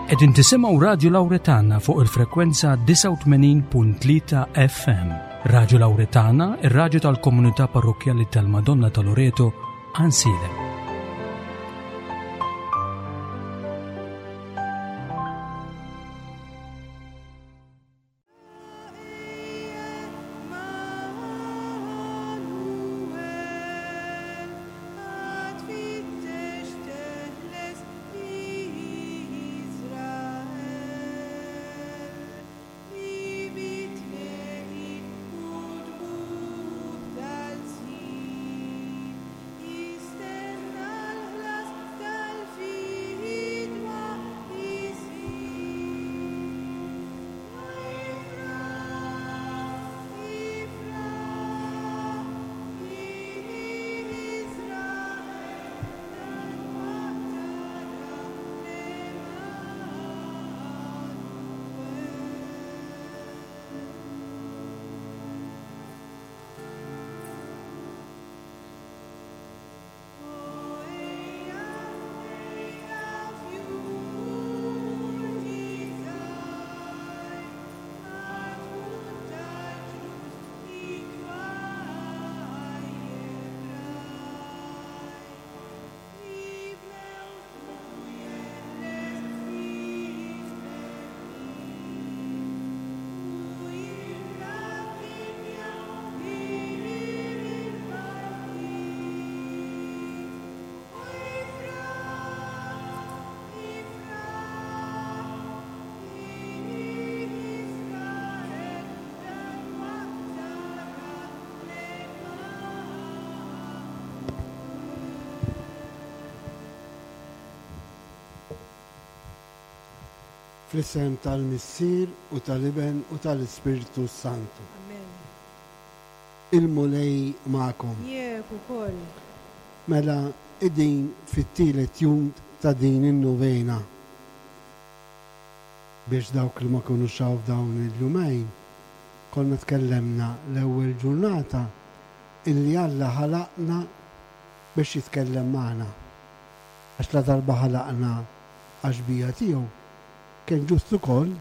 Qegħdin tisimgħu Radju Lawretana fuq il-frekwenza 89.3 FM. Radju Lawretana, ir-radju tal-komunità parrokkjali tal-Madonna ta' Loreto, Ansiedem. Fl-isem tal-Missier u tal-Iben u tal-Ispirtu s-Santu. Amen. Il-Mulej magħkom. Miegħek ukoll. Mela qegħdin fit-tielet jum ta' din in-novena. Biex dawk li ma kinux hawn f'dawn il-jumejn, konna tkellemna l-ewwel ġurnata illi Alla ħalaqna biex jitkellem magħna. Għax ladarba ħalaqna għax-xbieha tiegħu, kien ġust ukoll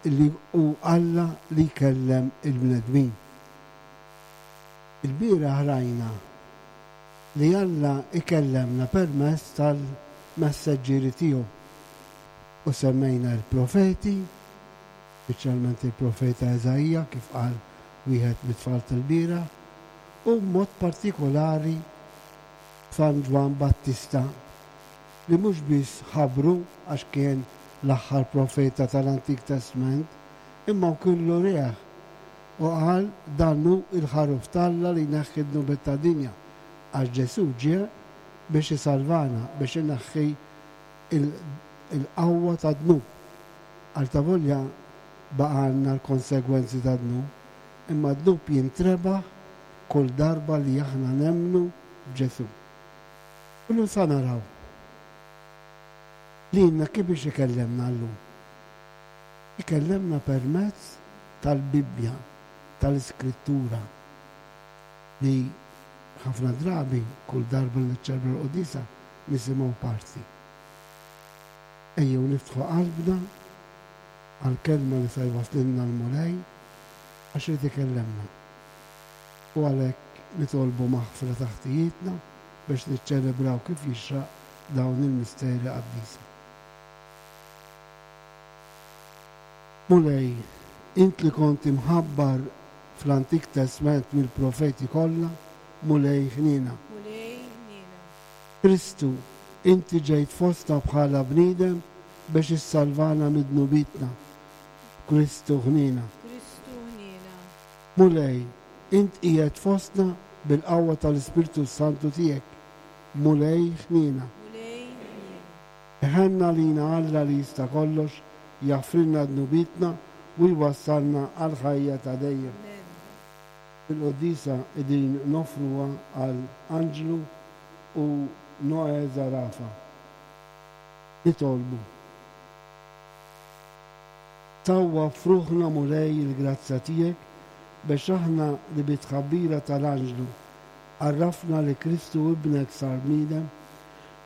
illi hu Alla li jkellem il-bnedmin. Ilbieraħ rajna li Alla jkellemna permezz tal-messaġġieri tiegħu u semmejna l-profeti, speċjalment il-profeta Iżaija kif qal wieħed mit-tfal tal-bieraħ, u b'mod partikolari San Ġwann Battista li mhux biss ħabbru għax kien l-aħħar profeta tal-Antik Testment, imma wkill urieh u qal dan hu l-Ħaruf t'Alla li jneħħi d-dnubiet tad-dinja, għax Ġesù ġie biex isalvana, biex ineħħi l-qawwa tad-dnub. Altavolja baqgħalna l-konsegwenzi tad-dnub, imma d-dnub jintrebaħ kull darba li aħna nemmnu f'Ġesù. Illum sa naraw lilna kif biex ikellemna llum. Ikellemna permezz tal-Bibbja, tal-Iskrittura, li ħafna drabi kull darba li niċċelebra l-quddiesa nisimgħu parti. Ejjew niftħu qalbna għall-kelma li sa jwasslilna l-Mulej għax irid ikellemna. U għalhekk nitolbu maħfra ta' ħtijietna biex niċċelebraw kif jixraq dawn il-misteri qaddisa. Mulej, int li kont imħabbar fl-Antik Testment mill-profeti kollha, Mulej ħniena. Mulej ħniena. Kristu, inti ġejt fostna bħala bniedem biex issalvana mid-dnubietna. Kristu ħniena. Kristu ħniena. Mulej, int qiegħed fostna bil-qawwa tal-Ispirtu s-Santu tiegħek. Mulej ħniena. Mulej ħniena. Iħenn għalina Alla li jista' kollox, jaħfrilna dnubietna u jwassalna għall-ħajja ta' dejjem. Amen. Il-quddiesa qegħdin noffruha għal Anġlu u Noè Zarafa. Nitolbu. Tawwab f'ruħna Mulej il-grazzja tiegħek biex aħna li bit-tħabbira tal-anġlu għarrafna li Kristu Ibnek sar bniedem,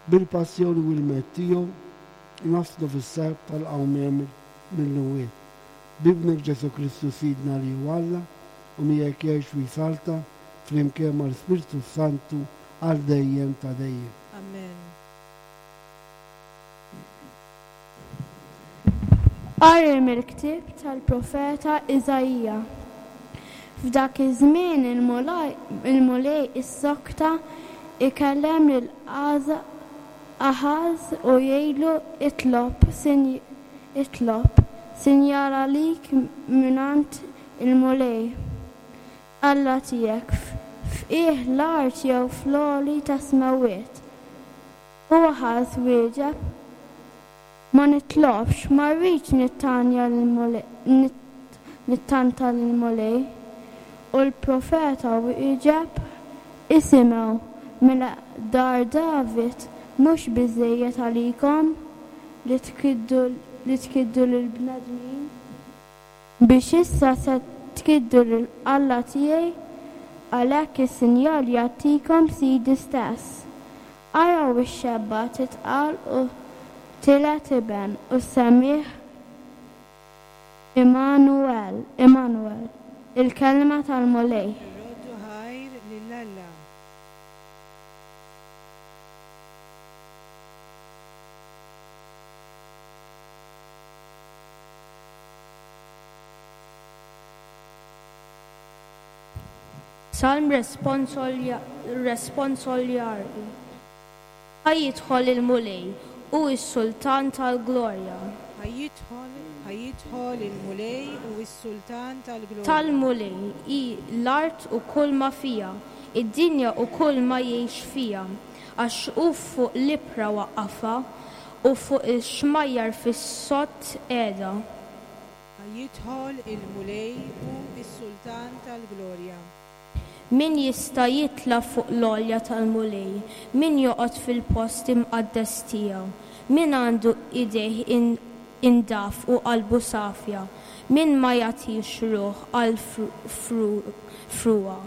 bil-passjoni u l-mewt tiegħu. naslu fis-serp tal-qawmien mill-imwiet. B'Ibnek Ġesù Kristu Sidna li hu Alla u miegħek jgħix u jsaltan flimkien mal-Ispirtu s-Santu għal dejjem ta' dejjem. Amen. Qari mill-ktieb tal-profeta Iżaija. F'dak iż-żmien il-Mulej issokta jkellem lil Aħaż u jgħidlu, Itlob, itlob, sinjal għalik mingħand il-Mulej, Alla tiegħek, f'qiegħ l-art jew fl-għoli tas-smewwiet. U Aħaż wieġeb, Ma nitlobx, ma rridx nittanja nittanta lill-Mulej. U l-profeta wieġeb, Isimgħu, mela dar David mhux biżżejjed għalikom li tkiddu li tkiddu lill-bnedmin, biex issa se tkiddu lil Alla tiegħi? Għalhekk is-sinjal jagħtikom Sidi stess. Araw ix-xebba titqal u tiled iben u ssemmih Immanuel, Immanuel, il-kelma tal-Mulej. Irroddu ħajr lil Alla. Salm responsoljari. Ħa jidħol il-Mulej, hu s-Sultan tal-glorja. Ħa jidħol, ħa jidħol il-Mulej, hu s-Sultan tal-glorja. Tal-Mulej hi l-art u kull ma fiha, id-dinja u kull ma jgħix fiha. Għax hu fuq l-ibħra waqqafha, u fuq ix-xmajjar fis-sod qiegħda. Ħa jidħol il-Mulej, hu s-Sultan tal-glorja. Min jista' jitla' fuq l-għolja tal-Mulej, min joqgħod fil-post imqaddes tiegħu? Min għandu idejh indaf u qalbu safja, min ma jagħtix ruħ għall-frugħa.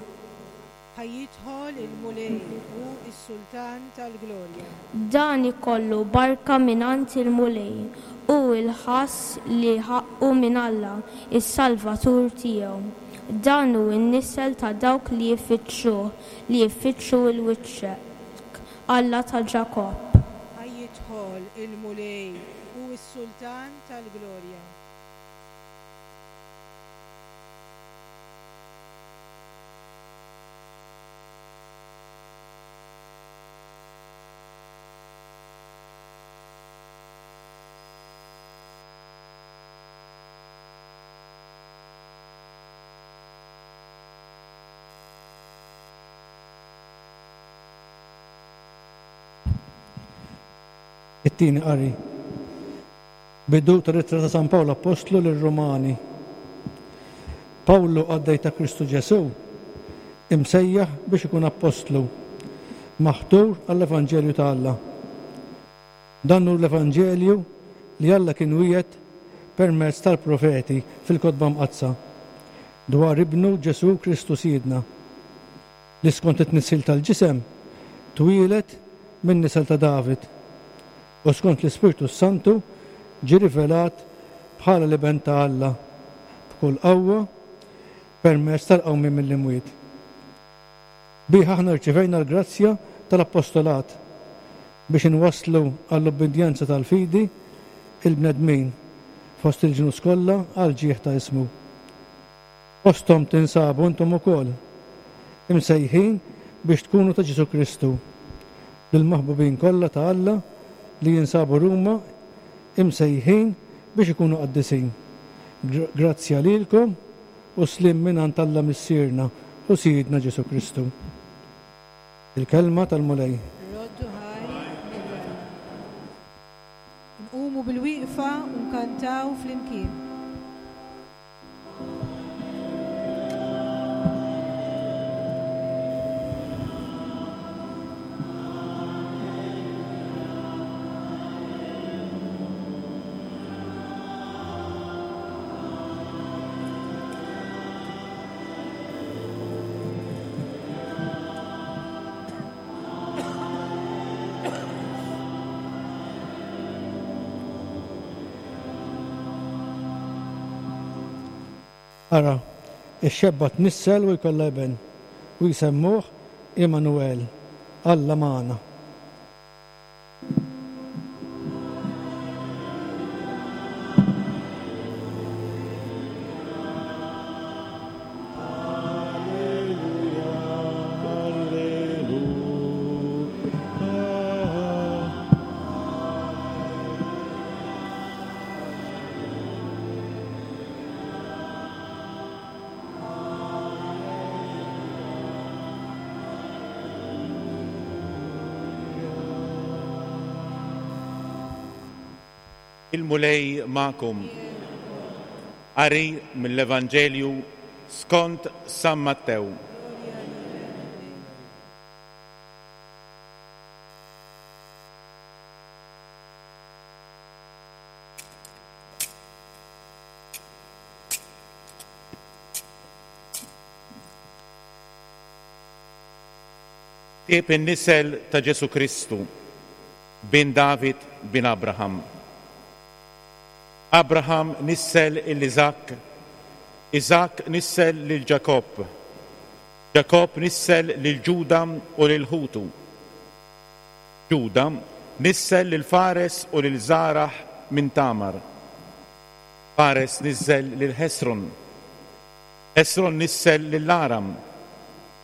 Ħa jidħol il-Mulej, hu s-Sultan tal-glorja. Dan ikollu barka mingħand il-Mulej, u l-ħass li ħaqqu minn Alla, is-Salvatur tiegħu. Dan hu n-nisel ta' dawk li jfittxuh, li jfittxu 'l wiċċek, Alla ta' Ġakobb. Ħa jidħol il-Mulej, hu s-Sultan tal-glorja. It-tieni qari. Bidu tal-Ittra ta' San Pawl Appostlu lir-Rumani. Pawlu qaddej ta' Kristu Ġesù, imsejjaħ biex ikun appostlu, maħtur għall-evanġelju ta' Alla. Dan hu l-evanġelju li Alla kien wiegħed permezz tal-profeti fil-Kotba Mqaddsa, dwar Ibnu Ġesù Kristu Sidna, li skont it-tnissil tal-ġisem twieled min-nisel ta' David, u skont l-Ispirtu s-Santu ġie rivelat bħala l-Iben ta' Alla b'kull qawwa permezz tal-qawmien mill-imwiet. Bih aħna rċivejna l-grazzja tal-appostolat biex inwasslu għall-ubbidjenza tal-fidi l-bnedmin fost il-ġnus kollha għall-ġieħ ta' ismu. Fosthom tinsabu intom ukoll, imsejħin biex tkunu ta' Ġesù Kristu, lill-maħbubin kollha ta' Alla li jinsabu Ruma, imsejħin biex ikunu qaddisin. Grazzja lilkom u sliem mingħand Alla Missierna u Sidna Ġesù Kristu. Il-Kelma tal-Mulej. Roddu ħajr lil Alla. Nqumu bil-wieqfa u nkantaw flimkien. Ara, ix-xebba tnissel u jkollha iben, u jsemmuh Għimanuwel, Alla magħna. Il-Mulej magħkom. Qari mill-Evanġelju skont San Mattew. Ktieb in-nisel ta' Ġesù Kristu, bin David, bin Abraham. Abraham nissel 'il Iżakk, Iżakk nissel lil Ġakobb, Ġakobb nissel lil Ġuda u lil ħutu. Ġuda nissel lil Fares u lil Żaraħ minn Tamar. Fares niżżel lil Ħesron. Ħesron nissel lil Aram.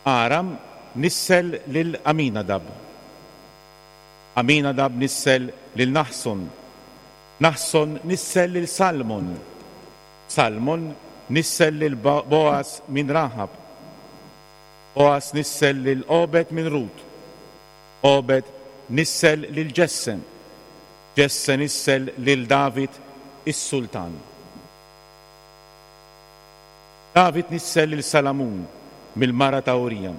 Aram nissel lil Aminadab. Aminadab nissel lil Naħson. Naħson nissel lil Salmon. Salmon nissel lil Boaz minn Raħab. Boaz nissel lil Obed minn Rut. Obed nissel lil Ġesse. Ġesse nissel lil David is-sultan. David nissel lil Salamun mill-mara ta' Urija.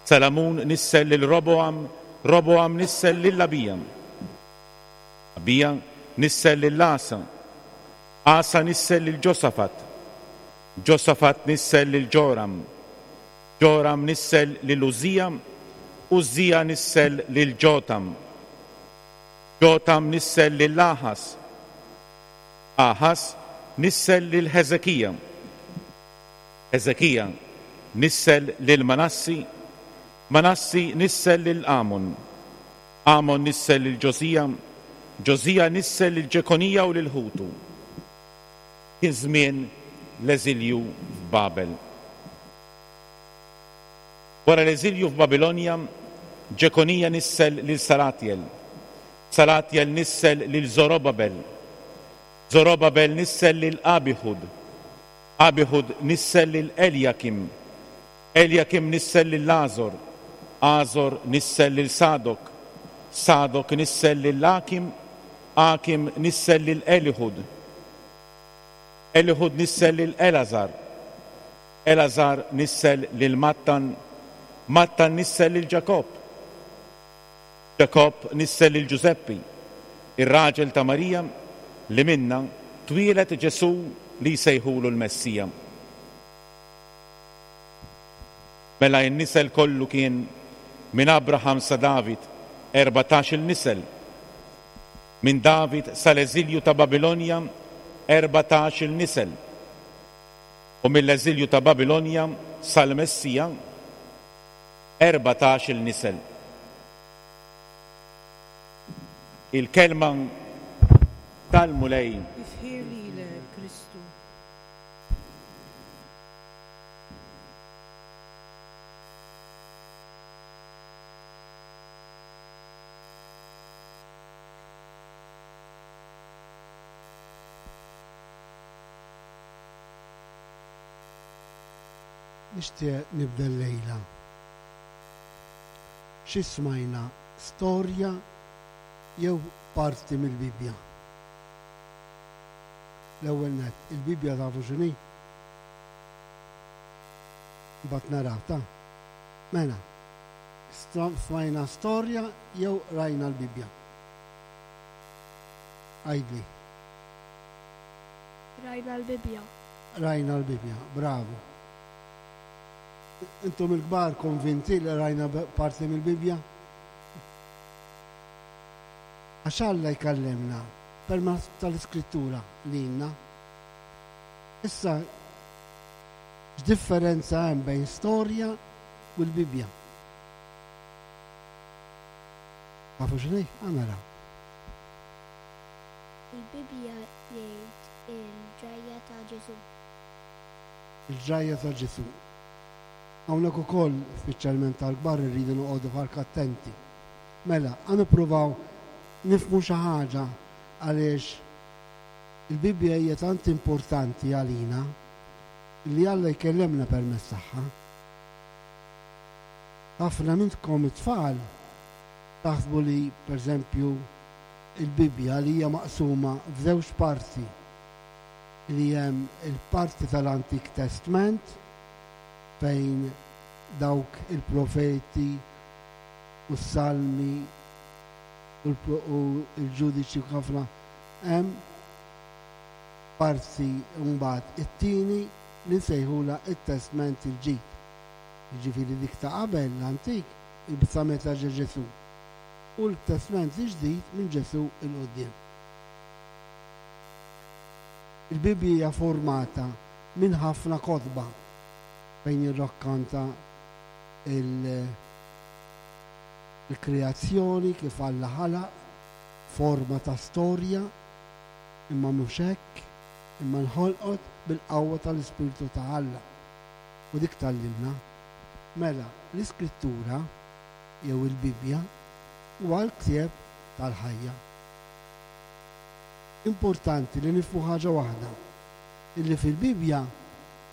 Salamun nissel lil Roboam, Roboam nissel lil Abija. Abija nissel lil Asa, Asa nissel lil Ġosafat, Ġosafat nissel lil Ġoram, Ġoram nissel lil Użżija, Użżija nissel lil Ġotam, Ġotam nissel lil Aħaż, Aħaż nissel lil Ħeżekija, Ħeżekija nissel lil Manassi, Manassi nissel lil Amon, Amon nissel lil Ġosija, Ġosija nissel lil Ġekonija u lil ħutu. Kien żmien l-eżilju f'Babel. Wara l-eżilju f'Babilonja, Ġekonija nissel lil Salatjel, Salatjel nissel lil Żorobabel, Żorobabel nissel lil Abiħud, Abiħud nissel lil Eljakim, Eljakim nissel lil Għażor, Għażor nissel lil Sadok, Sadok nissel lil Akim, Akim nissel lil Eliħud, Eliħud nissel lil Elgħażar, Elgħażar nissel lil Mattan, Mattan nissel lil Ġakobb, Ġakobb nissel lil Ġużeppi, ir-raġel ta' Marija, li minnha twieled Ġesù li jsejħulu l-Messija. Mela n-nisel kollu kien, minn Abraham sa David, 14-il nisel. Minn David sal-eżilju ta' Babilonja, 14-il nisel. U mill-eżilju ta' Babilonja sal-Messija, 14-il nisel. Il-Kelma tal-Mulej. Tifħir lilek, Kristu. Nixtieq nibda llejla. Xi smajna, storja jew parti mill-Bibbja? L-ewwel nett, il-Bibbja tafu x'inhi? Mbagħad naraw ta'. Mela, smajna storja jew rajna l-Bibbja? Għidli. Rajna l-Bibbja. Rajna l-Bibbja, bravo. Intom il-kbar konvinti li rajna parti mill-Bibbja? Għax Alla jkellimna permezz tal-Iskrittura lilna. Issa, x'differenza hemm bejn storja u l-Bibbja? Tafu x'inhi? Ħa naraw. Il-Bibbja jgħid il-ġrajja ta' Ġesù. Il-ġrajja ta' Ġesù. Hawnhekk ukoll, speċjalment għall-kbar, irridu noqogħdu ħark attenti. Mela, ħa nippruvaw nifhmu xi ħaġa għaliex il-Bibbja hija tant importanti għalina li Alla jkellemna permezz tagħha. Ħafna minnkom it-tfal taħsbu li, pereżempju, il-Bibbja li hija maqsuma f'żewġ parti li hemm il-parti tal-Antik Testment fejn dawk il-profeti u s-salmi u l-ġudiċi u ħafna hemm parti mbagħad it-tieni li nsejħulha t-Testment il-Ġdid. Jiġifieri dik ta' qabel l-Antik sa meta ġie Ġesù u l-Testment il-Ġdid minn Ġesù 'l quddiem. Il-Bibbja hija formata minn ħafna kotba fejn jirrakkanta il-kreazzjoni kif Alla ħalaq, forma ta' storja, imma mhux hekk, imma nħolqot bil-qawwa tal-Ispirtu ta' Alla. U dik tgħallimna. Mela, l-Iskrittura, jew il-Bibbja, huwa l-ktieb tal-ħajja. Importanti li nifhmu ħaġa waħda, illi fil-Bibbja,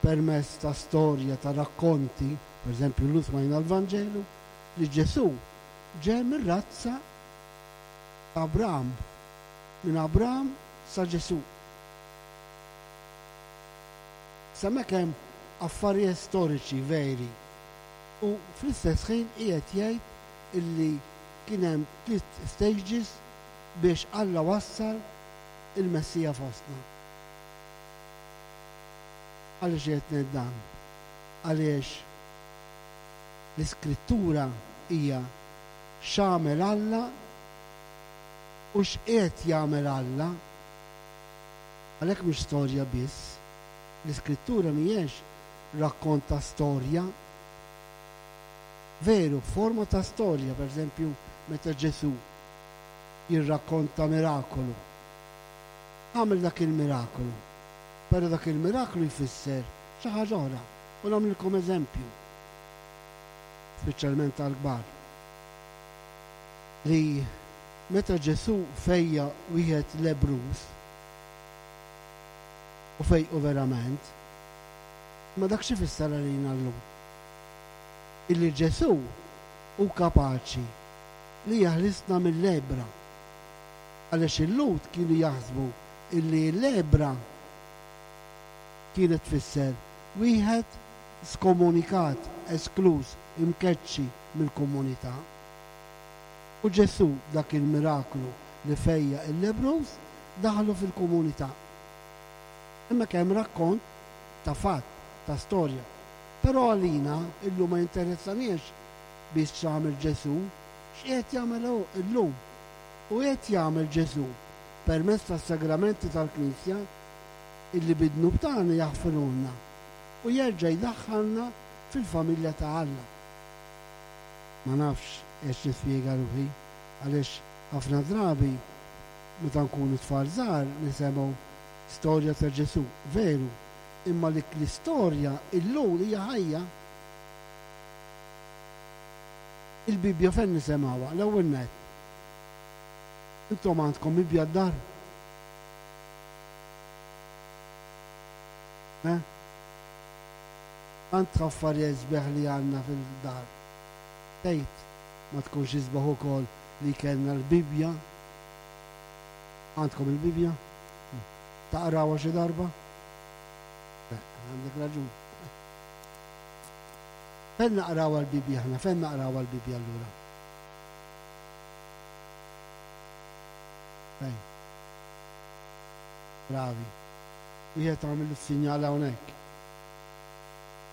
permezz ta' storja, ta' rakkonti, pereżempju llum smajna l-Vanġelu, li Ġesù ġej mir-razza ta' Abram, minn Abram sa Ġesù. Issa hemmhekk hemm affarijiet storiċi veri u fl-istess ħin qiegħed jgħid illi kien hemm tliet stages biex Alla wassal il-Messija fostna. Għaliex qiegħed ngħid dan? Għaliex l-Iskrittura hija x'għamel Alla u x'qiegħed jagħmel Alla. Għalhekk mhix storja biss. L-Iskrittura mhijiex rakkont ta' storja. Veru, f'forma ta' storja, pereżempju, meta Ġesù jirrakkonta mirakolu. Għamel dak il-mirakolu, però dak il-miraklu jfisser xi ħaġa oħra. U nagħmlilkom eżempju, speċjalment għall-kbar, li meta Ġesù fejjaq wieħed lebbruż, u fejqu verament, imma dak x'ifisser għalina llum? Illi Ġesù hu kapaċi li jeħlisna mill-lebbra. Għaliex il-Lhud kienu jaħsbu illi l-lebbra kienet tfisser wieħed skomunikat, eskluż, imkeċċi mill-komunità. U Ġesù b'dak il-miraklu li fejjaq il-lebbruż daħlu fil-komunità. Hemmhekk hemm rakkont ta' fatt, ta' storja. Però għalina illum ma jinteressaniex biss x'għamel Ġesù, x'qiegħed jagħmel hu illum. U qiegħed jagħmel Ġesù permezz tas-sagramenti tal-Knisja illi bid-dnub tagħna jaħfirulna u jerġa' jdaħħalna fil-familja ta' Alla. Ma nafx qiegħedx nispjega ruħi għaliex ħafna drabi meta nkunu tfal żgħar nisemgħu storja ta' Ġesù, veru, imma dik l-istorja illum hija ħajja. Il-Bibbja fejn nisemgħuha? L-ewwel nett. Intom għandkom Bibbja d-dar? Eh? Tant affarijiet sbieħ li għandna fil-dar. Tgħid ma tkunx isbaħ ukoll li kellna l-Bibbja? Għandkom il-Bibbja? Taqrawha xi darba? Le, għandek raġun. Fejn naqrawha l-Bibbja aħna? Fejn naqrawha l-Bibbja allura? Fejn? Bravi. Wieħed għamel is-sinjal hawnhekk.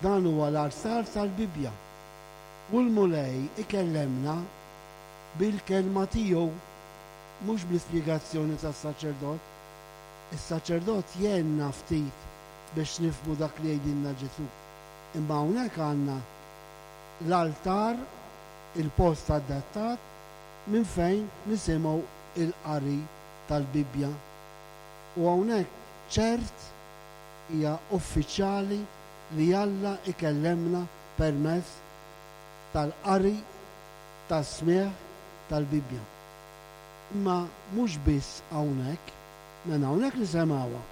Dan huwa l-arsar tal-Bibbja. U l-Mulej ikellemna bil-kelma tiegħu, mhux bl-ispjegazzjoni tas-saċerdot. Is-saċerdot jgħinna ftit. biex nifhmu dak li jgħidilna Ġesù. Imma hawnhekk għandna l-altar, il-post adattat minn fejn nisimgħu il-qari tal-Bibbja. U hawnhekk ċert hija uffiċjali li Alla ikellemna permezz tal-qari tas-smigħ tal-Bibbja. Imma mhux biss hawnhekk, mela hawnhekk nisemgħuha.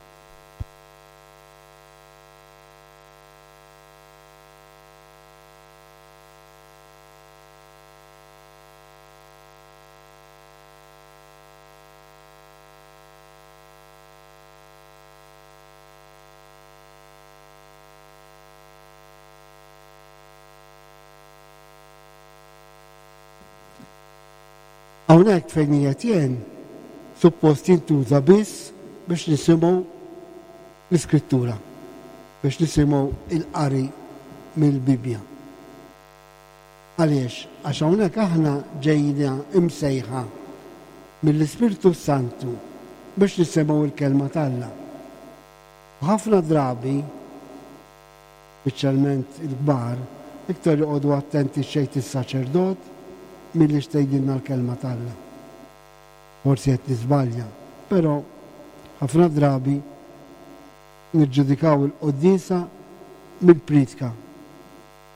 Hawnhekk fejn qiegħed jien suppost jintuża biss biex nisimgħu l-Iskrittura, biex nisimgħu l-qari mill-Bibbja. Għaliex? Għax hawnhekk aħna ġejna imsejħa mill-Ispirtu s-Santu biex nisimgħu l-Kelma t'Alla. U ħafna drabi, speċjalment il-kbar, iktar joqogħdu attenti x'jgħid is-saċerdot milli x'tgħidilna l-Kelma t'Alla. Forsi qed niżbalja, però ħafna drabi niġġudikaw il-quddiesa mill-priedka.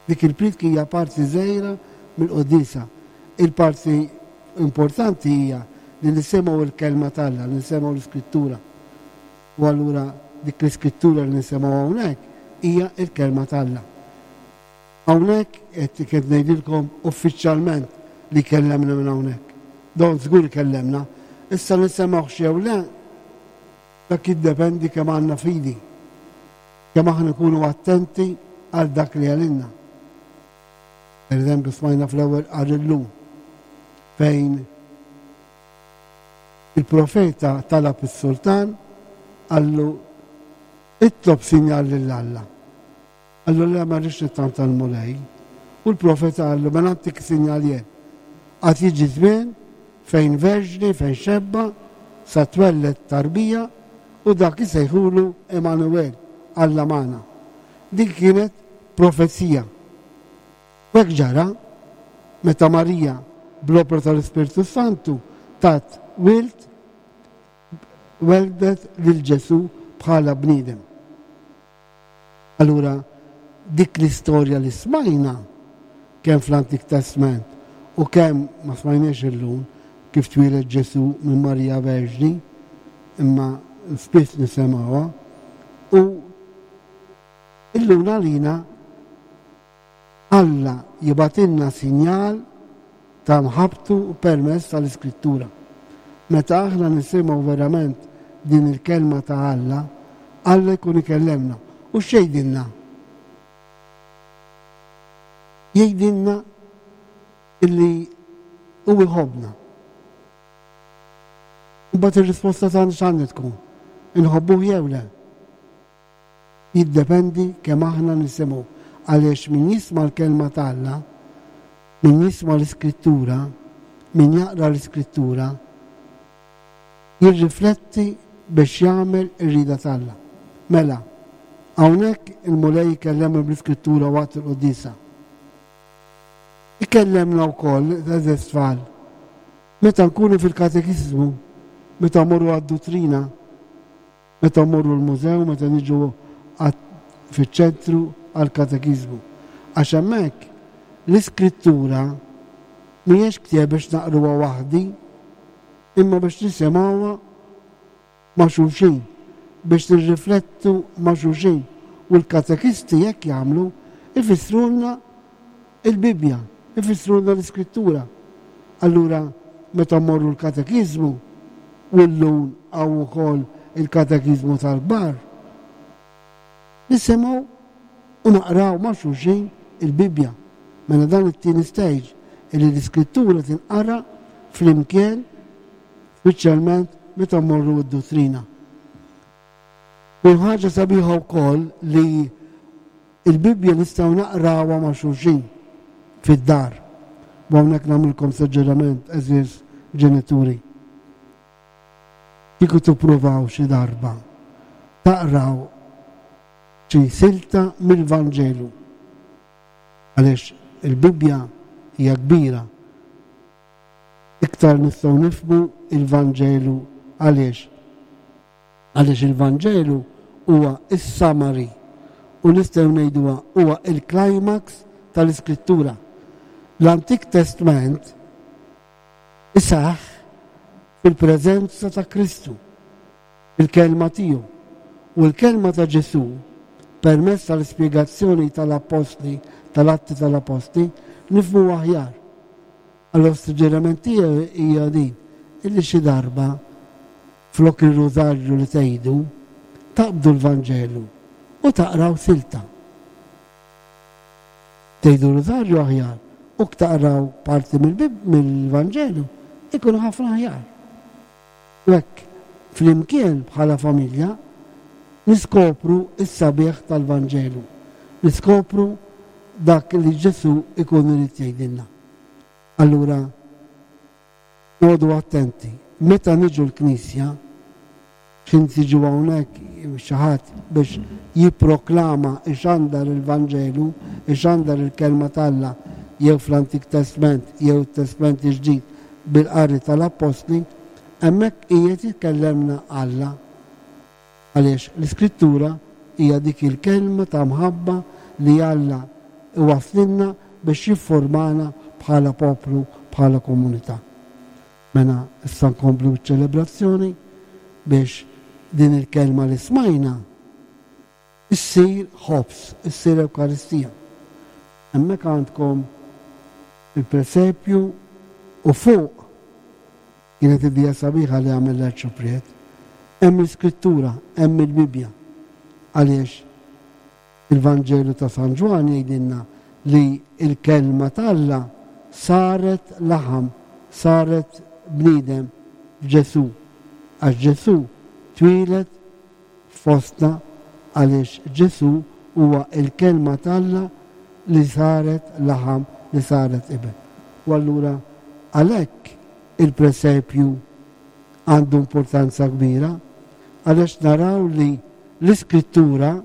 Dik il-priedka hija parti żgħira mill-quddiesa. Il-parti importanti hija li nisimgħu l-Kelma t'Alla, li nisimgħu l-Iskrittura. U allura dik l-Iskrittura li nisimgħu hawnhekk hija l-Kelma t'Alla. Hawnhekk qed qed ngħidilkom uffiċjalment li kellemna minn hawnhekk. Don żgur kellemna. Issa nisimgħuhx jew le, dak jiddependi kemm għandna fidi. Kemm aħna nkunu attenti għal dak li għalinna. Per eżempju, smajna fl-ewwel qari llum fejn il-profeta talab is-sultan qallu itlob sinjal lil Alla. Qallu le ma rridx nittanta l-Mulej. U l-profeta qallu mela ntik sinjal jien. Għad jiġi żmien fejn verġni, fejn xebba, sa twelled tarbija u dak isejħulu Emanuel, Alla magħna. Din kienet profezija. U hekk ġara meta Marija bl-opra tal-Ispirtu Santu tat wild weldet lil Ġesù bħala bniedem. Allura dik l-istorja li smajna kemm fl-Antik Testment u kemm ma smajniex illum kif twieled Ġesù minn Marija Verġni, imma spiss nisemgħuha, u illum għalina Alla jibgħatilna sinjal ta' mħabbtu permezz tal-Iskrittura. Meta aħna nisimgħu verament din il-kelma ta' Alla, Alla jkun ikellemna. U x'jgħidilna? Jgħidilna illi hu jħobbna. Imbagħad ir-risposta tagħna x'għandha tkun? Inħobbuh jew le? Jiddependi kemm aħna nisimgħu għaliex min jisma' l-kelma ta' Alla, min jisma' l-Iskrittura, min jaqra l-Iskrittura, jirrifletti biex jagħmel ir-rieda t'Alla. Mela, hawnhekk il-Mulej ikellemna bl-Iskrittura waqt il-quddiesa. Ikellemna wkoll, għeżież tfal, meta nkunu fil-katekiżmu, meta mmorru għad-duttrina, Meta mmorru l-mużew, meta niġu fiċ-ċentru għall-katekiżmu. Għax hemmhekk l-Iskrittura mhijiex ktieb biex naqruha waħdi, imma biex nisimgħuha ma' xulxin, biex nirriflettu ma' xulxin. U l-katekisti hekk jagħmlu, ifissrulna Il-Bibbja, ifissrulna l-Iskrittura. Allura, meta mmorru l-katekiżmu, u llum hawn ukoll il-katekiżmu tal-kbar, nisimgħu u naqraw ma' xulxin il-Bibbja. Mela dan it-tieni stage, illi l-Iskrittura tinqara flimkien, speċjalment meta mmorru d-duttrina. U ħaġa sabiħa wkoll li Il-Bibbja nistgħu naqrawha ma' xulxin fid-dar. U hawnhekk nagħmlilkom suġġeriment, għeżież ġenituri. Kieku tippruvaw xi darba taqraw xi silta mill-Vanġelu. Għaliex il-Bibbja hija kbira. Iktar nistgħu nifhmu il-Vanġelu għaliex? Għaliex il-Vanġelu huwa is-summary u nistgħu ngħiduha huwa il-climax tal-Iskrittura. L-Antik Testment isaħ fil-preżenza ta' Kristu, fil-kelma tiegħu. U l-kelma ta' Ġesù, permezz tal-ispjegazzjoni tal-Appostli, tal-Atti tal-Appostli, nifhmu aħjar. Allura s-suġġeriment tiegħi hija din, illi xi darba flok ir-rużarju li tgħidu, taqbdu l-Vanġelu u taqraw silta. Tgħidu rużarju aħjar u taqraw parti mill-Vanġelu ikun ħafna aħjar. U hekk flimkien bħala familja niskopru s-sabiħ tal-Vanġelu, niskopru dak li Ġesù ikun irid jgħidilna. Allura noqogħdu attenti, meta niġu l-Knisja, x'ħin tiġu hawnhekk xi ħadd biex jipproklama, ixandar il-Vanġelu, ixandar il-Kelma t'Alla jew fl-Antik Testment jew it-Testment il-Ġdid bil-qari tal-Appostli, hemmhekk qiegħed jikellemna Alla. Għaliex l-Iskrittura hija dik il-kelma ta' mħabba li Alla iwasslilna biex jiffurmana bħala poplu, bħala komunità. Mela issa nkomplu biċ-ċelebrazzjoni biex din il-kelma li smajna issir ħobż, issir Ewkaristija. Hemmhekk għandkom il-presepju u fuq Kienet idea sabiħa li għamel l-Arċipriet. Hemm l-Iskrittura, hemm il-Bibbja. Għaliex il-Vanġelu ta' San Ġwann jgħidilna li l-Kelma t'Alla saret laħam, saret bniedem f'Ġesù. Għax Ġesù twieled fostna għaliex Ġesù huwa l-Kelma t'Alla li saret laħam, li saret iben. U allura għalhekk il-presepju għandu importanza kbira għaliex naraw li l-Iskrittura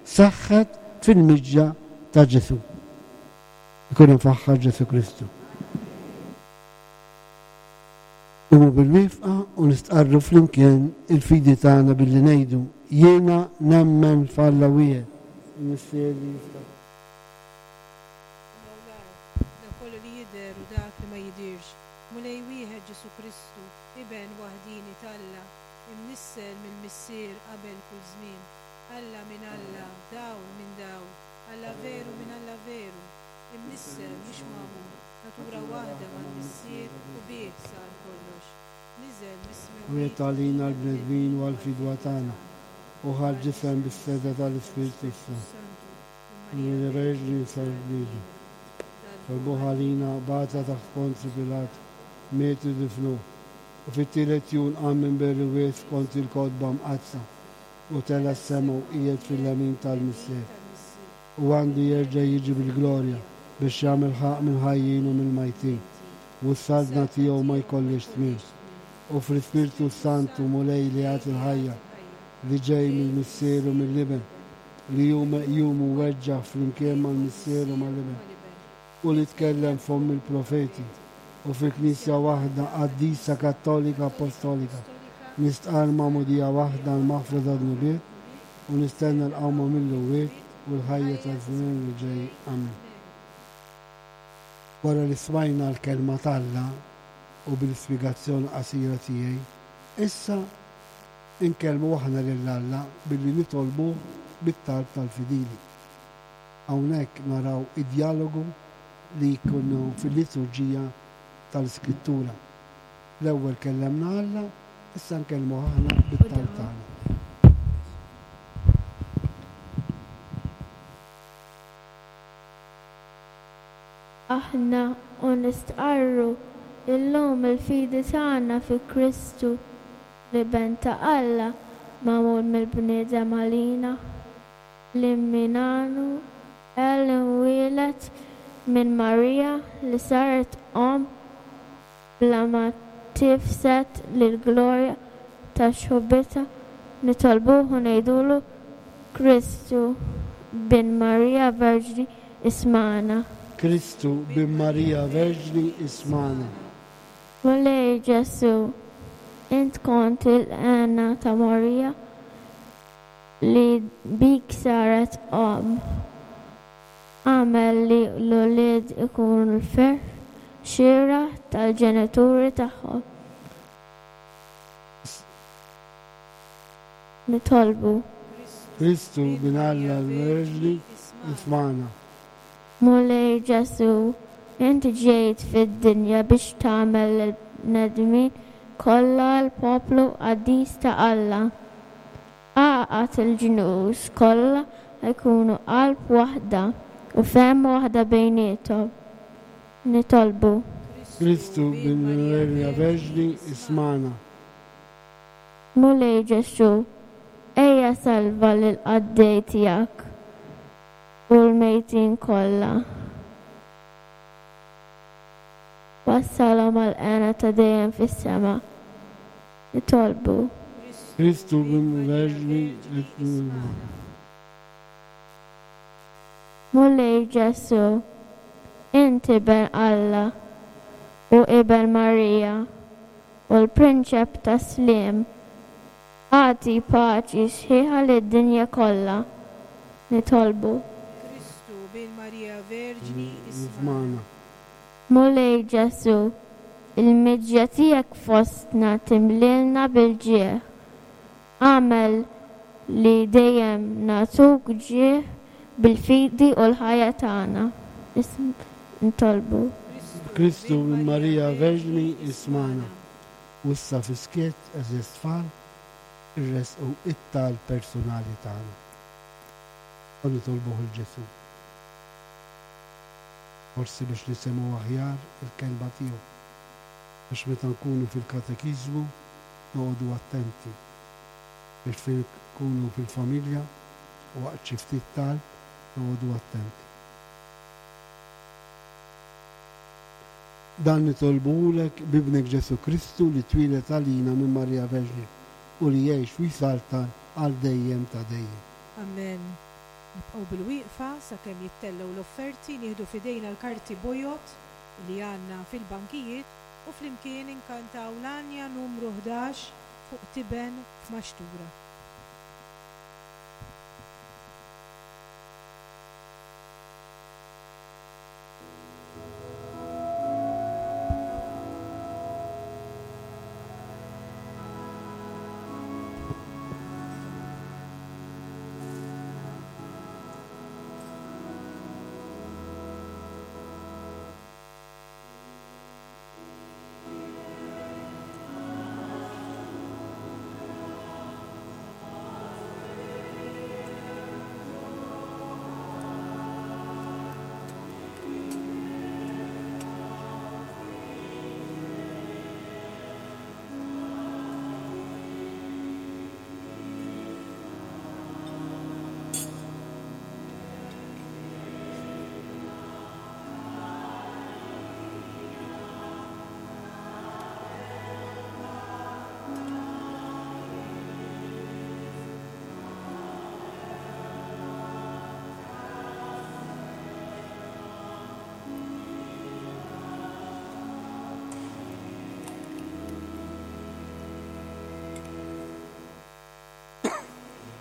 seħħet fil-miġja ta' Ġesù. Ikun imfaħħar Ġesù Kristu. Qumu bil-wieqfa u nistqarru flimkien il-fidi tagħna billi ngħidu, Jiena nemmen f'Alla wieħed, il-Missier li jista'. Is-sema u l-art, dak kollu li jidher u dak li ma jidhirx, Mulej wieħed Ġesù Kristu, Iben waħdieni t'Alla, imnissel mill-Missier qabel kull żmien, Alla minn Alla, dawl minn dawl, Alla veru minn Alla veru, imnissel mhux magħmul, natura waħda mal-Missier u bih sar kollox. Niżel mis-smewwiet Miet għalina l-bnedmin u għall-fidwa tagħna, u ħa l-ġisem bis-setgħa tal-Ispirtu s-Santu. Minn Verġni sar bniedem. Talbuh għalina, bata taħt Ponzju Pilat, miet u difnuh. U fit-tielet jum qam minn bejn l-imwiet skont il-Kotba Mqaddsa, u tela' s-sema u qiegħed fil-lemin tal-Missier. U għandu jerġa' jiġi bil-glorja biex jagħmel ħaqq mill-ħajjin u mill-majtin, u s-saltna tiegħu ma jkollhiex tmiem. U fl-Ispirtu s-Santu, Mulej li jagħti l-ħajja, li ġej mill-Missier u mill-Iben, li hu meqjum u weġġa' flimkien mal-Missier u mal-Iben, u li tkellem f'fomm il-profeti, u fil-Knisja waħda, qaddisa, kattolika, appostolika, nistqarr magħmudija waħda għall-maħfra tad-dnubiet, u nistenna l-qawma mill-imwiet u l-ħajja taż-żmien li ġej. Amen. Wara li smajna l-Kelma t'Alla u bil-ispjegazzjoni qasira tiegħi, issa Inkellmu aħna lil Alla billi nitolbuh bit-talb tal-fidili. Hawnhekk naraw id-djalogu li jkun fil-liturġija tal-Iskrittura. L-ewwel kellemna Alla, issa nkellmuh aħna bit-talb tagħna. Aħna u nistqarru llum il-fidi tagħna fi Kristu, L-Iben ta' Alla magħmul mill-bniedem għalina, li mingħandu El imwieled minn Marija li saret omm bla ma tifsed lill-glorja ta' xħubitha, nitolbuh u ngħidulu. Kristu, Bin Marija Verġni, ismagħna. Kristu, Bin Marija Verġni, ismagħna. Mulej Ġesù, int kont il-hena ta' Marija li bik saret omm. Agħmel li l-ulied ikunu l-ferħ xieraq tal-ġenituri tagħhom. Nitolbu. Kristu, Bin Alla l-Verġni, ismagħna. Mulej Ġesù, int ġejt fid-dinja biex tagħmel lill-bnedmin kollha l-poplu qaddis ta' Alla. Għaqqad il-ġnus kollha jkunu qalb waħda u fehma waħda bejniethom. Nitolbu. Kristu, Bin Marija Verġni, ismagħna. Mulej Ġesù, ejja salva lill-qaddej tiegħek u l-mejtin kollha. Wassalhom għall-hena ta' dejjem fis-sema. Nitolbu. Kristu Bin Verġni, ismagħna. Mulej Ġesù, int Iben Alla u Iben Marija u l-Prinċep tas-Sliem, agħti paċi sħiħa lid-dinja kollha. Nitolbu. Kristu, Bin Marija Verġni, ismagħna. Mulej Ġesù, il-miġja tiegħek fostna timlielna bil-ġieħ. Agħmel li dejjem nagħtuk ġieħ bil-fidi u l-ħajja tagħna. Nitolbu. Kristu minn Marija Verġni ismagħna. U issa fis-skiet, għeżież tfal, irressqu it-talb personali tagħna. U nitolbuh 'il Ġesù. Forsi biex nisimgħu aħjar il-kelma tiegħu. Biex meta nkunu fil-katekiżmu noqogħdu attenti. Biex fejn nkunu fil-familja waqt xi ftit talb noqogħdu attenti. Dan nitolbuhulek b'Ibnek Ġesù Kristu li twieled għalina minn Marija Verġni u li jgħix u jsaltan għal dejjem ta' dejjem. Amen. Nibqgħu bilwieqfa sakemm jittellgħu l-offerti, nieħdu f'idejna l-karti bojod li għandna fil-bankijiet u flimkien inkantaw l-għanja numru 11 fuq tiben f'maxtura.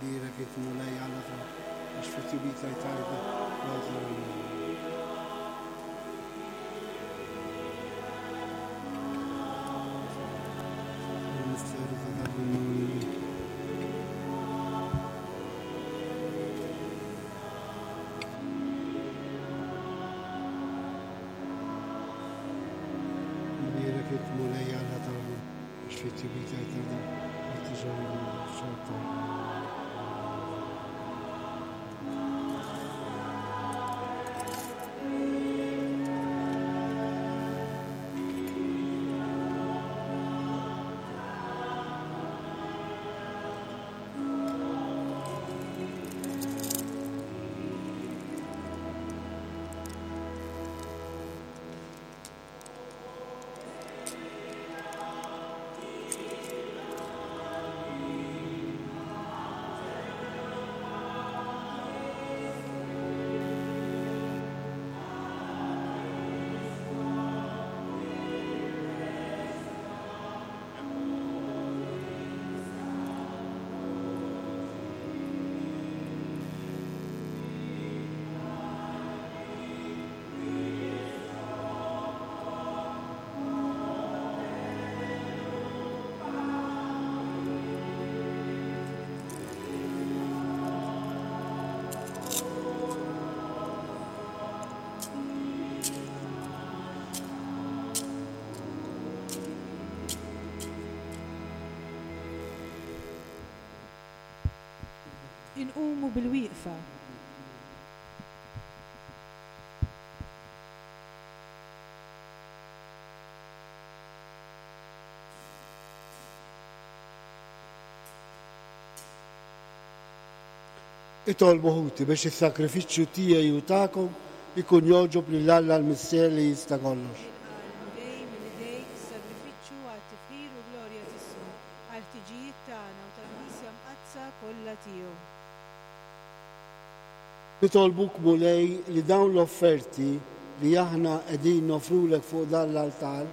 Bierek il-Mulej Alla tagħna, għax fit-tjubita jtajba Il-misteru ta' dak il-Mulej. Bierek il-Mulej Alla tagħna, għax fit-tjubita jtajba Inqumu bil-wieqfa. Itolbu ħuti biex is-sagrifiċċju tiegħi u tagħkom ikun jogħġob lil Alla l-Missier li jista' kollox. Ilqa' l-Mulej minn idejk is-sagrifiċċju għat-tifħir u glorja t'ismu, għall-ħtiġijiet tagħna u tal-Knisja Mqaddsa kollha tiegħu. Nitolbuk Mulej li dawn l-offerti li aħna qegħdin noffrulek fuq dan l-altar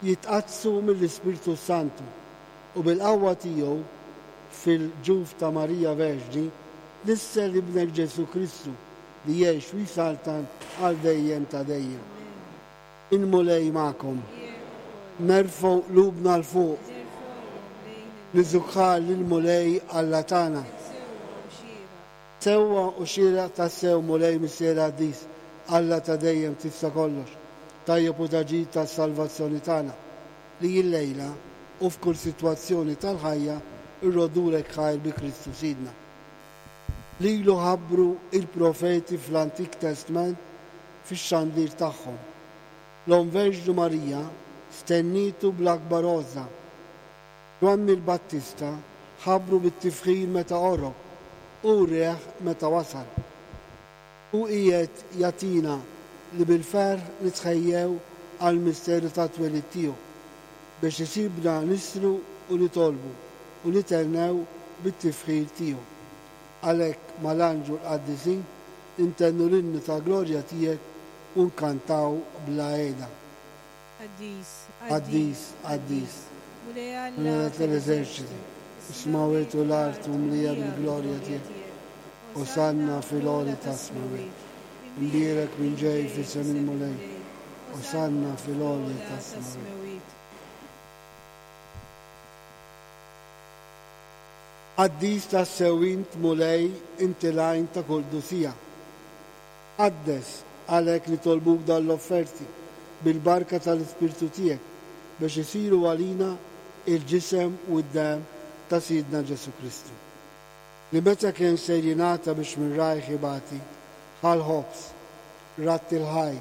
jitqaddsu mill-Ispirtu s-Santu u bil-qawwa tiegħu fil-ġuf ta' Marija Verġni nissel Ibnek Ġesù Kristu li jgħix u jsaltan għal dejjem ta' dejjem. Il-Mulej magħkom. Nerfgħu qlubna 'l fuq. Niżukħar lill-Mulej Alla tagħna. Sewwa u xieraq tassew, Mulej Missier Qaddis, Alla ta' dejjem tista' kollox, tajjeb u ta' ġid tas-salvazzjoni tagħna, li illejla u f'kull sitwazzjoni tal-ħajja rroddulek ħajr bi Kristu Sidna. Lilu ħabbru il-profeti fl-Antik Testment fix-xandir tagħhom. L-Omm Verġnu Marija stennietu bl-akbar għożża. Ġwanni l-Battista ħabbru bit-tifħir meta qorob u wrieh meta wasal. Hu qiegħed jagħtina li bil-ferħ nitħejjew għall-misteru tat-twelid tiegħu, biex isibna nisru u nitolbu u nithennew bit-tifħir tiegħu. Għalhekk mal-anġlu l-qaddisin intennu l-innu ta' glorja tiegħek u nkantaw bla heda. Qaddis, Qaddis, qaddis, Mulej Alla Mulej tal-eżerċiti, is-smawwiet u l-art mimlija bil-glorja tiegħek. Osanna fil-għoli tas-smawwiet. Imbierek min ġej f'isem il-Mulej. Osanna fil-għoli tas-smawwiet. Qaddis tassew int, Mulej, inti l-għajn ta' kull qdusija. Qaddes, għalhekk nitolbuk dawn l-offerti, bil-barka tal-Ispirtu tiegħek, biex isiru għalina il-ġisem u d-demm ta' Sidna Ġesù Kristu. Li meta kien ser jingħata biex minn rajh ibati, ħa l-ħobż, radd il-ħaj,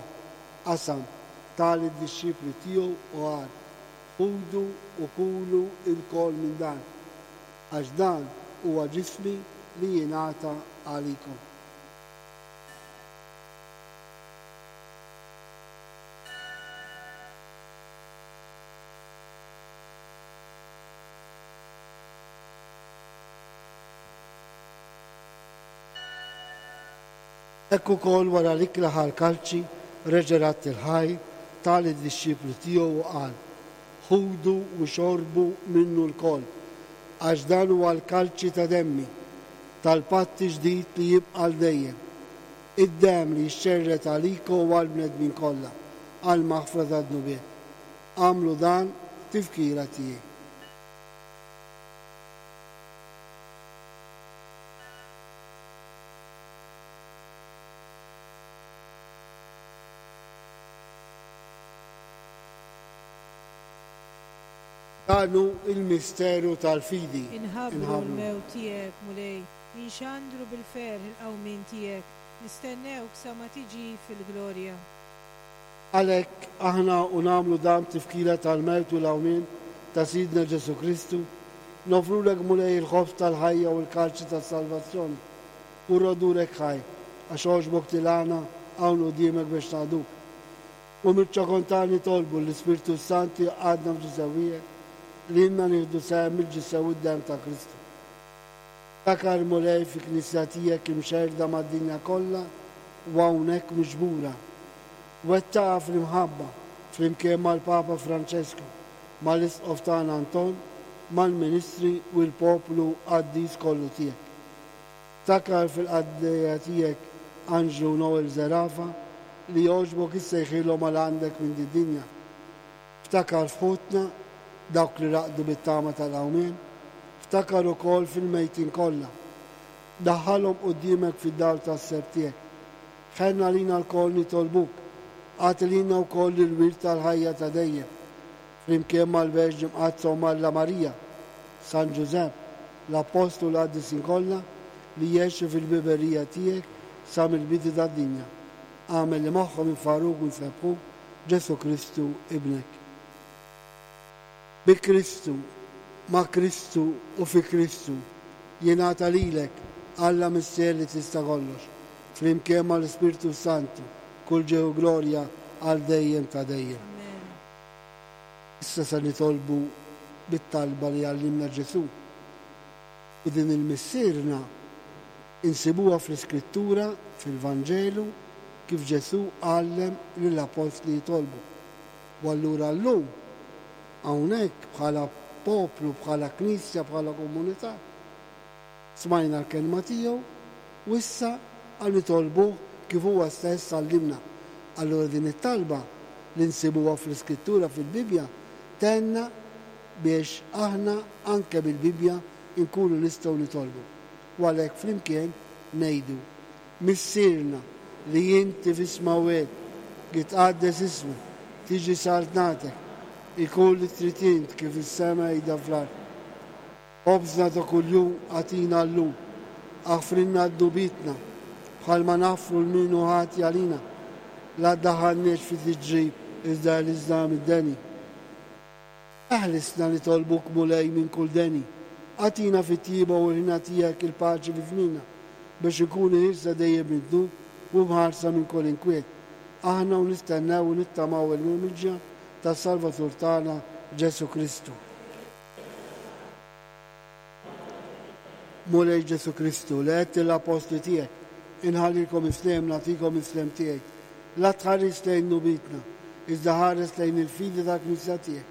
qasam, ta lid-dixxipli tiegħu u qal, Ħudu u kulu lkoll minn dan, għax dan huwa ġismi li jingħata għalikom. Hekk ukoll wara l-ikla ħa l-kalċi, reġa' radd il-ħajr, ta lid-dixxipli tiegħu u qal, Ħudu u xorbu minnu lkoll, għax dan huwa l-kalċi ta' demmi, tal-patt ġdid li jibqa' għal dejjem, id-demm li jixxerred għalikom u għall-bnedmin kollha għall-maħfra tad-dnubiet. Agħmlu dan b'tifkira tiegħi. Dan hu l-misteru tal-fidi. Inħabbru l-mewt tiegħek, Mulej, inxandru bil-ferħ il-qawmien tiegħek, nistennewk sa ma tiġi fil-glorja. Għalhekk, aħna u nagħmlu dan b'tifkira tal-mewt u l-qawmien ta' Sidna Ġesù Kristu, noffrulek Mulej il-ħobż tal-ħajja u l-kalċi tas-salvazzjoni, u rroddulek ħaj, għax għoġbok tilgħana hawn quddiemek biex naqduk. U mill-ċokon tagħna nitolbu l-Ispirtu s-Santu jgħaqqadna f'ġisem wieħed, lilna nieħdu sehem mill-ġisem u d-demm ta' Kristu. Ftakar, Mulej, fil-Knisja tiegħek imxerrda mad-dinja kollha u hawnhekk miġbura. Wettaqha fl-imħabba, flimkien mal-Papa Franċesku, mal-Isqof tagħna Anton, mal-ministri u l-poplu qaddis kollu tiegħek. Ftakar fil-qaddejja tiegħek Anġlu u Noel Zerafa li għoġbok issejħilhom għal għandek minn did-dinja. Ftakar f'ħutna, dawk li raqdu bit-tama tal-qawmien, ftakar ukoll fil-mejtin kollha. Daħħalhom quddiemek fid-dawl tas-sebħ tiegħek. Ħenn għalina lkoll nitolbuk, agħti lilna wkoll il-wirt tal-ħajja ta' dejjem, flimkien mal-Verġni Mqaddsa Omm Alla Marija, San Ġużepp, l-Appostli u l-qaddisin kollha, li jgħixu fil-biberija tiegħek sa mill-bidu tad-dinja. Agħmel li magħhom infarruk u nsebbħuk Ġesù Kristu Ibnek. Bi Kristu, ma' Kristu u fi Kristu, jingħata lilek, Alla Missier li tista' kollox, flimkien mal-Ispirtu s-Santu, kull ġieħ u glorja għal dejjem ta' dejjem. Amen. Issa se nitolbu bit-talba li għallimna Ġesù. U din il-Missierna insibuha fl-Iskrittura, fil-Vanġelu, kif Ġesù għallem lill-appostli jitolbu. U allura llum, hawnhekk bħala poplu, bħala Knisja, bħala komunità, smajna l-kelma tiegħu u issa għal nitolbuh kif huwa stess għallimna. Allura din it-talba li nsibuha fl-Iskrittura, fil-Bibbja, tgħinna biex aħna anke bil-Bibbja nkunu nistgħu nitolbu. U għalhekk flimkien ngħidu, Missierna li inti fis-smawwiet, jitqaddes ismek, tiġi saltnatek, ikun li trid int kif fis-sema qiegħda fl-art. Ħobżna ta' kuljum agħtina llum. Aħfrilna dnubietna, bħalma naħfru 'l min hu ħati għalina. La ddaħħalniex fi tiġrib iżda eħlisna mid-deni. Eħlisna nitolbuk Mulej minn kull deni. Agħtina fit-tjieba u l-hena tiegħek il-paċi fi żmienna, biex inkunu ħielsa dejjem mid-dnub u mħarsa minn kull inkwiet, aħna u nistennew u nittamaw il-miġja tas-Salvatur tagħna Ġesù Kristu. Mulej Ġesù Kristu, li għedt lill-appostli tiegħek, Inħallilkom is-sliem, nagħtikom is-sliem tiegħi. La tħarisx lejn dnubietna, iżda ħares lejn il-fidi tal-Knisja tiegħek.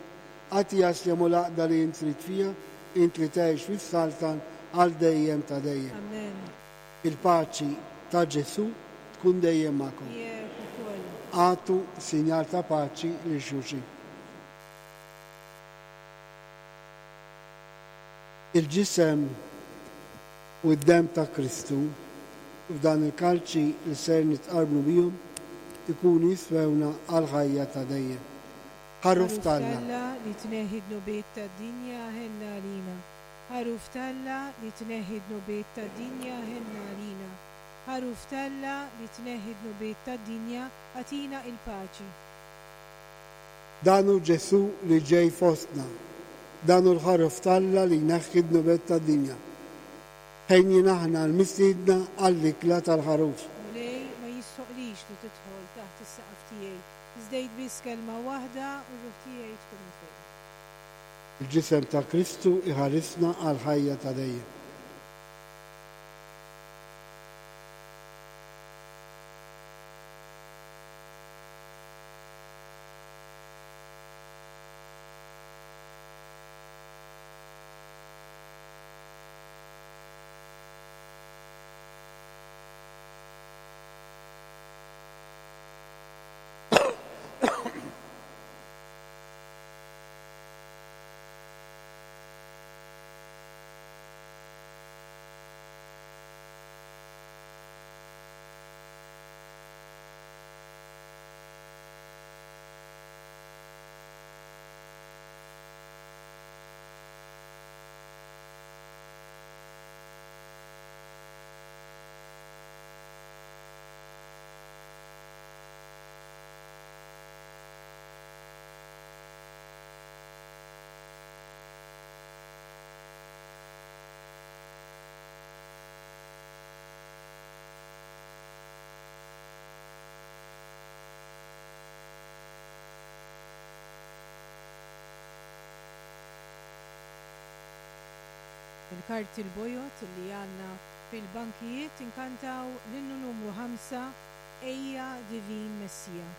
Agħtiha s-sliem u l-għaqda li int trid fiha, int li tgħix u ssaltan għal dejjem ta' dejjem. Amen. Il-paċi ta' Ġesù tkun dejjem magħkom. Miegħek ukoll. Agħtu sinjal ta' paċi lil xulxin. Il-ġisem u d-demm ta' Kristu f'dan il-kalċi li ser nitqarbnu bihom ikunu jiswewna għall-ħajja ta' dejjem. Ħaruf Ħaruf t'Alla. t'Alla li tneħħi d-dnubiet tad-dinja ħenna għalina. Ħaruf t'Alla li tneħħi d-dnubiet tad-dinja ħenna għalina. Ħaruf t'Alla li tneħħi d-dnubiet tad-dinja agħtina il-paċi. Dan hu Ġesù li ġej fostna. Dan hu l-Ħaruf t'Alla li jneħħi d-dnubiet tad-dinja. Ħejnjin aħna l-mistiedna għall-ikla tal-Ħaruf. Mulej, ma jistħoqqlix li tidħol taħt is-saqaf tiegħi, iżda għid biss kelma waħda u r-ruħ tiegħi tkun imfejqa. Il-ġisem ta' Kristu jħarisna għall-ħajja ta' dejjem. Il-karti l-bojod li għandna fil-bankijiet inkantaw l-innu numru 5 Ejja Divin Messija.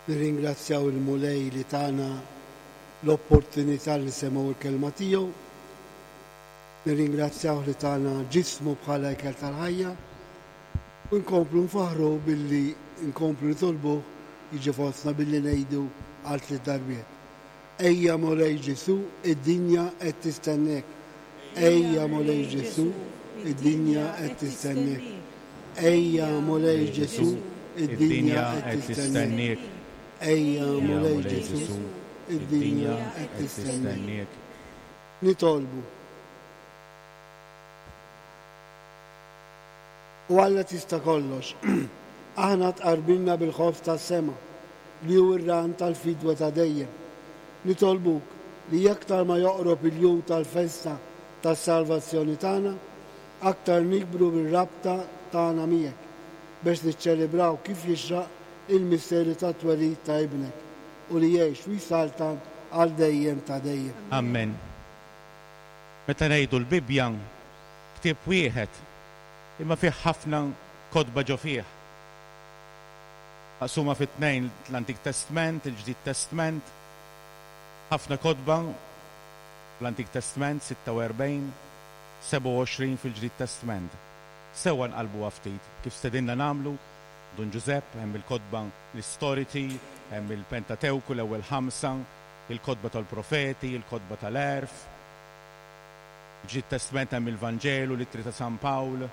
Nirringrazzjaw il-Mulej li tana l-opportunità li nisimgħu l-kelma tiegħu. Nirringrazzjawh li tana ġismu bħala ikel tal-ħajja u nkomplu nfaħħruh billi nkomplu nitolbuh jiġi fostna billi ngħidu għal tliet darbiet. Ejja Mulej Ġesù, id-dinja qed tistennek. Ejja Mulej Ġesù, id-dinja qed tistennek. Ejja Mulej Ġesù, id-dinja qed tistenniek. Ejja Mulej Ġesù, id-dinja qed tistenniek. Nitolbu. O Alla tista' kollox, aħna tqarbilna bil-ħobż tas-sema, li hu r-ran tal-fidwa ta' dejjem. Nitolbuk li aktar ma joqrob il-jum tal-festa tas-salvazzjoni tagħna, aktar nikbru bir-rabta tagħna miegħek, biex niċċelebraw kif jixraq il-misteri tat-twelid ta' Ibnek, u li jgħix u jsaltan għal dejjem ta' dejjem. Amen. Meta ngħidu l-Bibbja, ktieb wieħed, imma fih ħafna kotba ġo fih. Maqsuma fi tnejn, l-Antik Testment, il-Ġdid Testment. Ħafna kotba fl-Antik Testment, 46, 27 fil-Ġdid Testment. Sewwa nqallbuha ftit, kif stedinna nagħmlu Dun Ġużepp, hemm il-kotba l-istoriċi, hemm il-Pentatewku, l-ewwel ħamsa, il-kotba tal-profeti, il-kotba tal-għerf. Fil-Ġdid Testment hemm il-Vanġelu, l-Ittri ta' San Pawl,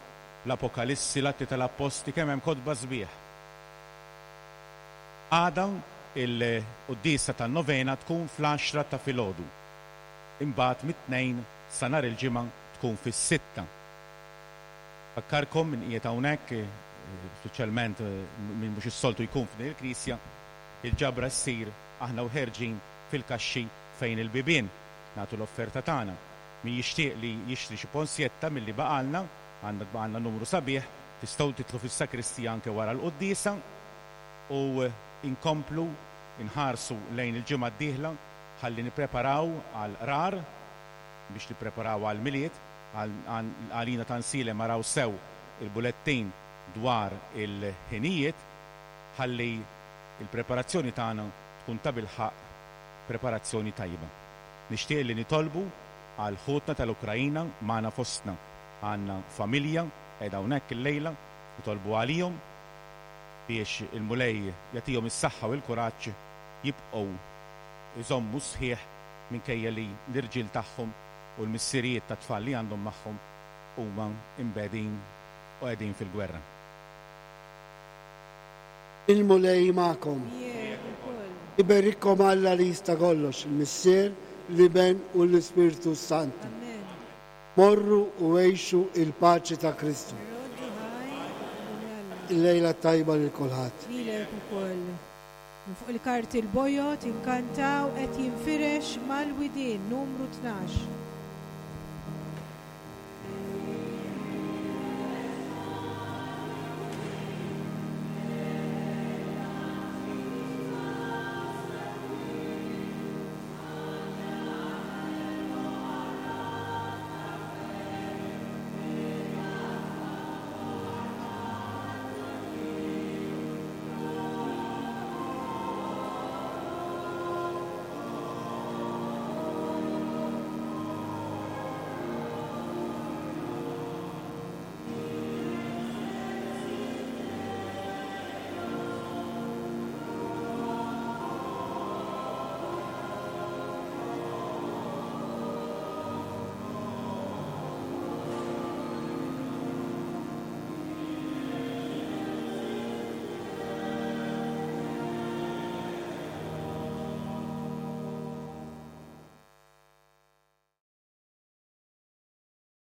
l-Apokalissi, l-Atti tal-Appostli, kemm hemm kotba sbieħ. Għada il-quddiesa tan-novena tkun fl-għaxra ta' filgħodu. Imbagħad mit-Tnejn sa nhar il-Ġimgħa tkun fis-sitta. Nfakkarkom min qiegħed hawnhekk, speċjalment min mhux is-soltu jkun f'din il-knisja, il-ġabra ssir aħna u ħerġin fil-kaxxi fejn il-bibien. Nagħtu l-offerta tagħna. Min jixtieq li jixtri xi ponsjetta milli baqgħalna, għandna baqgħalna numru sabiħ, tistgħu tidħlu fis-sakristija anke wara l-quddiesa u nkomplu nħarsu lejn il-ġimgħa d-dieħla ħalli nippreparaw għall-qrar, biex nippreparaw għall-Milied, għalina ta' Nsielem araw sew il-bulettin dwar il-ħinijiet ħalli l-preparazzjoni tagħna tkun tabilħaqq preparazzjoni tajba. Nixtieq li nitolbu għal ħutna tal-Ukraina magħna fostna. Għandna familja qiegħda hawnhekk illejla, nitolbu għalihom biex il-Mulej jagħtihom is-saħħa u l-kuraġġ jibqgħu jżommu sħiħ minkejja li l-irġiel tagħhom u l-missirijiet tat-tfal li għandhom magħhom huma mbegħdin u qegħdin fil-gwerra. Il-Mulej magħkom. Miegħek ukoll. Iberikkom Alla li jista' kollox, il-Missier, l-Iben u l-Ispirtu s-Santu. Amen. Morru u għixu il-paċi ta' Kristu. Irroddu ħajr lil Alla. Il-lejla t-tajba lil kulħadd. Lilek ukoll. Minn fuq il-karti l-bojod inkantaw qed jinfirex mal-widien numru 12.